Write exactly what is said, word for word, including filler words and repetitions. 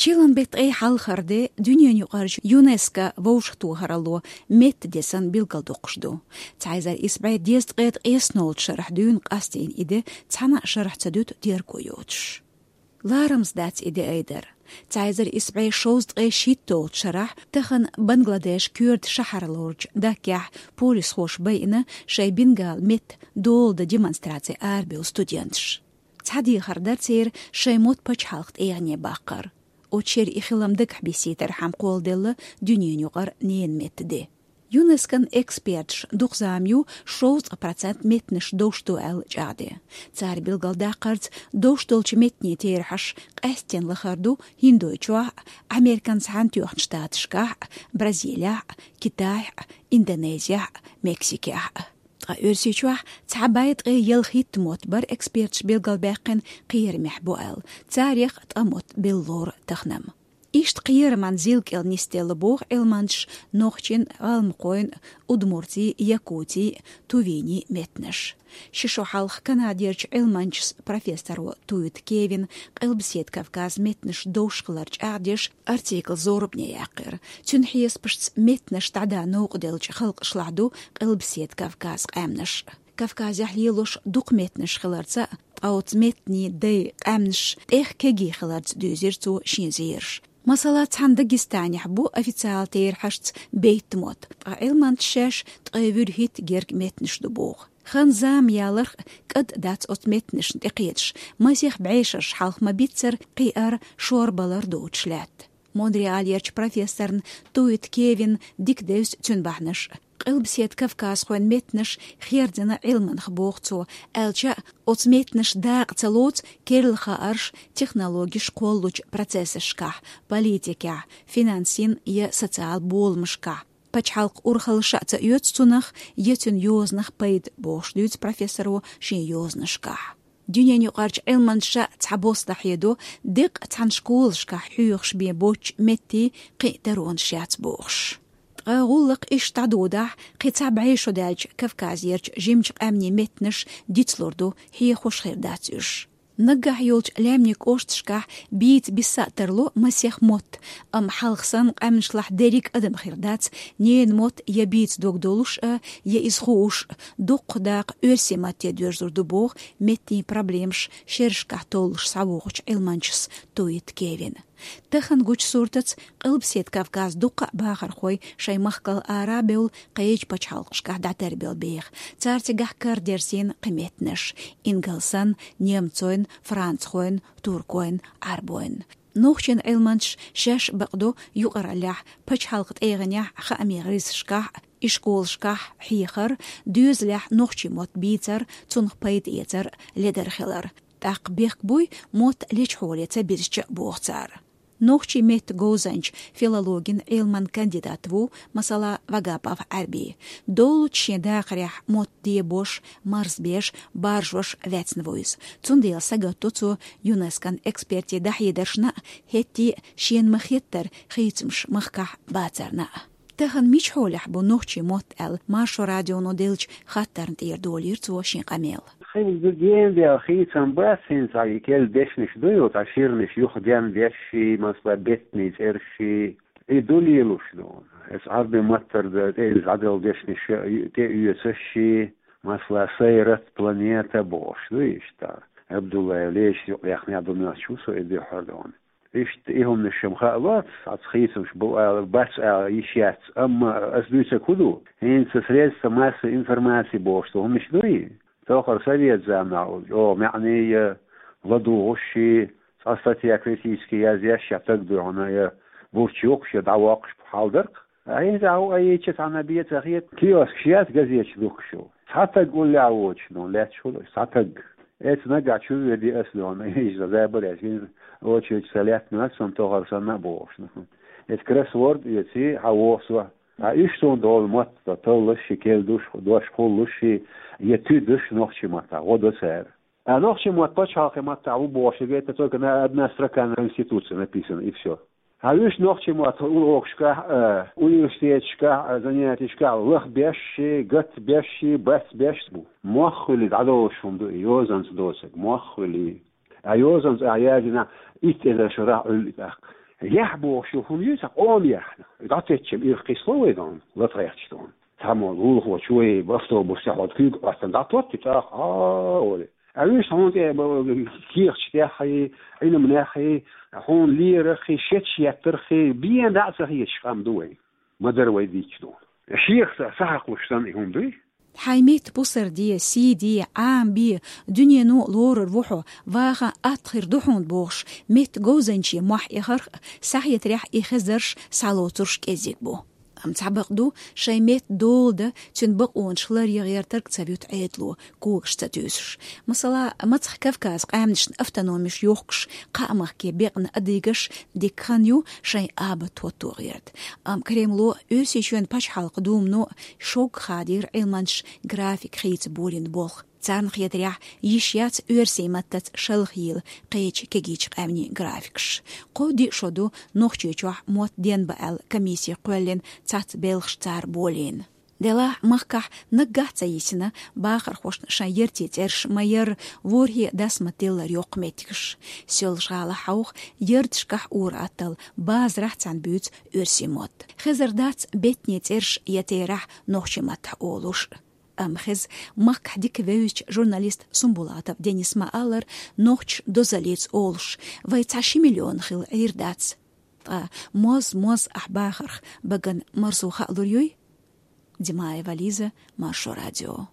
Чиллан беттан ткъе хьалхара де дуьненаюкъарчу ЮНЕСКО вовшахтохаралло меттан де санна билгалдоккхуш ду. Цхьа эзар исс бӀе дезткъе ткъеснолчу шарахь дуьйна къастийна и де цхьана а шарахь ца дуьту терго йоцуш. Ларамза дац и де айдар. Цхьа эзар исс бӀе шовзткъе шийтталгӀачу шарахь тахана Бангладеш коьрта шахьар лоручу Даккехь полисхоша байина шайн бенгали меттан дола дан демонстраце арабевлла студенташ. Цхьа дехар дара церан шайн мотт пачхьалкхан тӀегӀане баккхар. Оцу шеран и хилам дагахь биссийтархьама кхолладелла дуьненаюкъара ненан меттан де. ЮНЕСКОн эксперташ дукха зама ю шовзткъа процент меттанаш довш ду аьлла чӀагӀде. Цара билгалдаккхарца, довш долчу меттанийн терахьаш къаьсттина лахара ду ХӀиндойчохь а, Американ Цхьаьнатоьхначу Штаташкахь а, Бразилехь а, Китайхь а, Индонезехь а, Мексикехь а. Ткъа Оьрсийчохь цхьа бӀе ткъе ялхитта мотт бара эксперташа билгалбаьккхина кхерамехь бу аьлла, царех ткъа мотт белла лору тахана-м. Иштта кхераман зилкӀел нисделла боху Ӏилманчаша нохчийн, гӀалмакхойн, удмуртийн, якутийн, тувинийн меттанаш. Ши шо хьалха Канадерчу Ӏилманчас, профессоро Туит Кевина Къилбаседа Кавказан меттанаш довш хилар чӀагӀдеш артикл зорбане яьккхира. Цуьнан хьесапашца, меттанаш дӀадан новкъа деллачу халкъашлахь ду Къилбаседа Кавказан къаьмнаш. Кавказехь лелош дукха меттанаш хиларца, ткъа оцу меттанийн дайн къаьмнаш тӀех кегий хиларца дуьйзира цо шен зераш. Масала, цхьана Дагестанехь бу официалан терахьашца бейтта мотт, ткъа Ӏилманчаша шаьш ткъе вуьрхӀитта герга меттанаш ду боху. Хан-зама яларх, кӀад а дац оцу меттанашна тӀекхеташ, масех бӀешераш хьалха ма-биццара кхиар, шорбалар доцуш лаьтта. Монреалерчу профессорна Туит Кевина дика девза цуьнан бахьанаш. Къилбаседа кавказхойн меттанаш хердина Ӏилманах, боху цо, аьлча а, оцу меттанаш дакъа ца лоцу керла хаарш технологеш кхоллучу процессашкахь, политикехь, финансийн я социал боламашкахь. Пачхьалкхан урхалла ша а ца оьцу цунах, я цуьнан йозанах пайда, бохуш дуьйцу профессоро шен йозанашкахь. Дуьненаюкъарчу Ӏилманчаша цхьабосса дӀахьедо, деккъа цхьана школашкахь хьоьхуш бен боцчу меттийн кхин а таронаш яц бохуш. Ткъа гӀуллакх иштта дӀадодахь, кхин цхьа бӀе шо даьлча Кавказерчу жимачу къаьмнийн меттанаш дицлур ду, хьехош хир дац уьш. Наггахь йолчу лаьмнийн кӀошташкахь бийца биса а тарло масех мотт, амма хьалха санна къаьмнашлахь дерриг адам хир дац ненан мотт я бийца дог долуш а, я иза хууш а. Дуккха дакъа оьрсийн матте доьрзур ду боху меттийн проблемаш шерашкахь толлуш схьавогӀучу Ӏилманчас Туит Кевина. Тахана гучу суртаца, Къилбаседа Кавказан дуккха а бахархой шайн махкал ара а бевлла, кхечу пачхьалкхашкахь дӀатарбелла беха. Цара цигахь карадерзийна кхин меттанаш: ингалсан, немцойн, францхойн, туркойн, Ӏарбойн. Нохчийн Ӏилманчаша шаьш бакъдо юкъараллехь, пачхьалкхан тӀегӀанехь хаамийн гӀирсашкахь а, ишколашкахь а хьехар, доьзалехь нохчийн мотт бийцар, цунах пайда эцар ледара хилар. ТӀаккха бехк буй мотт лечхьоре ца бирзича а, боху цара. Нохчийн меттан говзанча, филологин Ӏилман кандидат ву, масала, Вагапов Ӏарби. Доллучу шен дахарехь мотт дебош, марзбеш, баржош ваьцна ву иза. Цундела сагатдо цо ЮНЕСКОн экспертийн дӀахьедаршна а, хӀетте а шена ма-хеттара хийцамаш махкахь бацарна а. Тахана мича хьолехь бу нохчийн мотт аьлла, Маршо радионо деллачу хаттарна тӀера долийра цо шен къамел. Хин гена дел хийцам бац, хӀинца и керла дешнаш ду ю, цхьа ширнаш юха ден дешший, масала, беттанийн цӀершший, и ду лелош ду. Эс Ӏарбийн маттара дан тӀе иза дӀаделла дешнаш тӀе оьцашший, масала, сайрат, планета бохуш ду иштта. Абдуллаев Лешис юкъаяьхна ду моьттуш ву со и дуьххьара дона. Иштта и хӀуманаш-м хаалоц, хьаца хийцамаш бу ала, бац ала йиш яц, амма ас дуьйцург хӀун ду? ХӀинца средства массовой информации бохуш ду хӀуманаш дуй? Тохара совет заманахь, о, маьӀне я ладугӀушший, цхьа статья критически язъеш я таг дуьхьана, я бурчухуш, я дӀавоккхуш хьал дара-кх. Ай, хӀинца а йича цхьанна бен ца хета, киоскаш яц газеташ дуккхуш ю. Цхьа таг уллехь воцуш ду, лаьтташ хуьлу, цхьа таг. Эца нагахь чу веди ас ду, иза забар ас, очередь ца лаьттина ас, сан тохара санна а бохуш. Эца кроссворд эций, хьан вохсо. А уьш суна долу мотт, таллаш ши, керла душ, дош кхуллуш ши, я туьдуш нохчийн маттахь, гӀо до цара. А нохчийн мотт пачхьалкхийн маттахь ву бохуш, это только на одна строка на Конституции написана, и всё. Хьан уьш нохчийн мотт урокашкахь а, университеташкахь а, занятиешкахь а лахбеш ши, гатбеш ши, бацбеш бу. Мох хуьлий дӀадолуш хӀума ду и, йозанца доцург, мох хуьлий. А йозанца а яздина, итт эзар шарахь Ӏуьллу и тӀаккха. Яхь бохуш ю хӀума ю, ца къома яхь. ДӀатеччам ирх кхисло вай дон, латхайхча дон. Цхьаммо лулахочо вай автобус тӀехь куьйга Ӏоттан дӀатотти тӀаккха, а, оле. А вуьш хьуна тӀе кехаташ тӀеххьий, Ӏилманеххий, хьуна лераххий, шеташ еттарххий, бен дӀа а ца хеташ къам ду вай. Ма дара вай дийцча ду. Шех са, са хьакхуш санна и хӀума дуй? Хьайн метта пусар де, сий де, Ӏамабе, дуьнено лорар ву хьо, ваха атта хир ду хьуна бохуш, метта говзанче мохь эхарх а, схьахетарехь и хезарш схьалоцурш кӀезиг бу. Амма цхьа бакъ ду, шайн метта дола дан, цуьнан бакъонаш ларъян гӀертарг ца вуьту Ӏедало, когаш ца туьйсуш. Масала, Мацах Кавказан къаьмнашна автономиш йохкуш, кхаа махке бекъна адыгаш дика хан ю шайн абат хӀотто гӀерта. Амма Кремло, Оьрсийчоьнан пачхьалкхан думано шогга хадийра Ӏилманчаш график хийца болийна болх. Царна хетарехь, йиш яц оьрсийн маттаца шалха йийла кхечу кегийчу къаьмнийн графикаш. Кхо-диъ шо ду Нохчийчохь мотт денна бан аьлла комисси кхоьллина, цхьацца белхаш цара болийна. Делахь махкахь наггахь ца йисина, бахархошна шайн яртийн цӀераш ма-ярра, ворхӀе дас ма-тиллара йоккха меттигаш. Соьлжа-ГӀалахь хьовха, ярташкахь ур-атталла, базарахь цхьаьна буьйцу оьрсийн мотт. Хезар дац беттанийн цӀераш я терахь нохчийн маттахь олуш. Амма хеза, махкахь дика вевзачу журналист Сумбулатов Денис ма-аллара, нохчаша дозаллица олуш, вай цхьа ши миллион хилла Ӏийр дац. Ткъа моз-моз ахь бахарх багана марзо хаалур юй? Димаева Лиза, Маршо радио.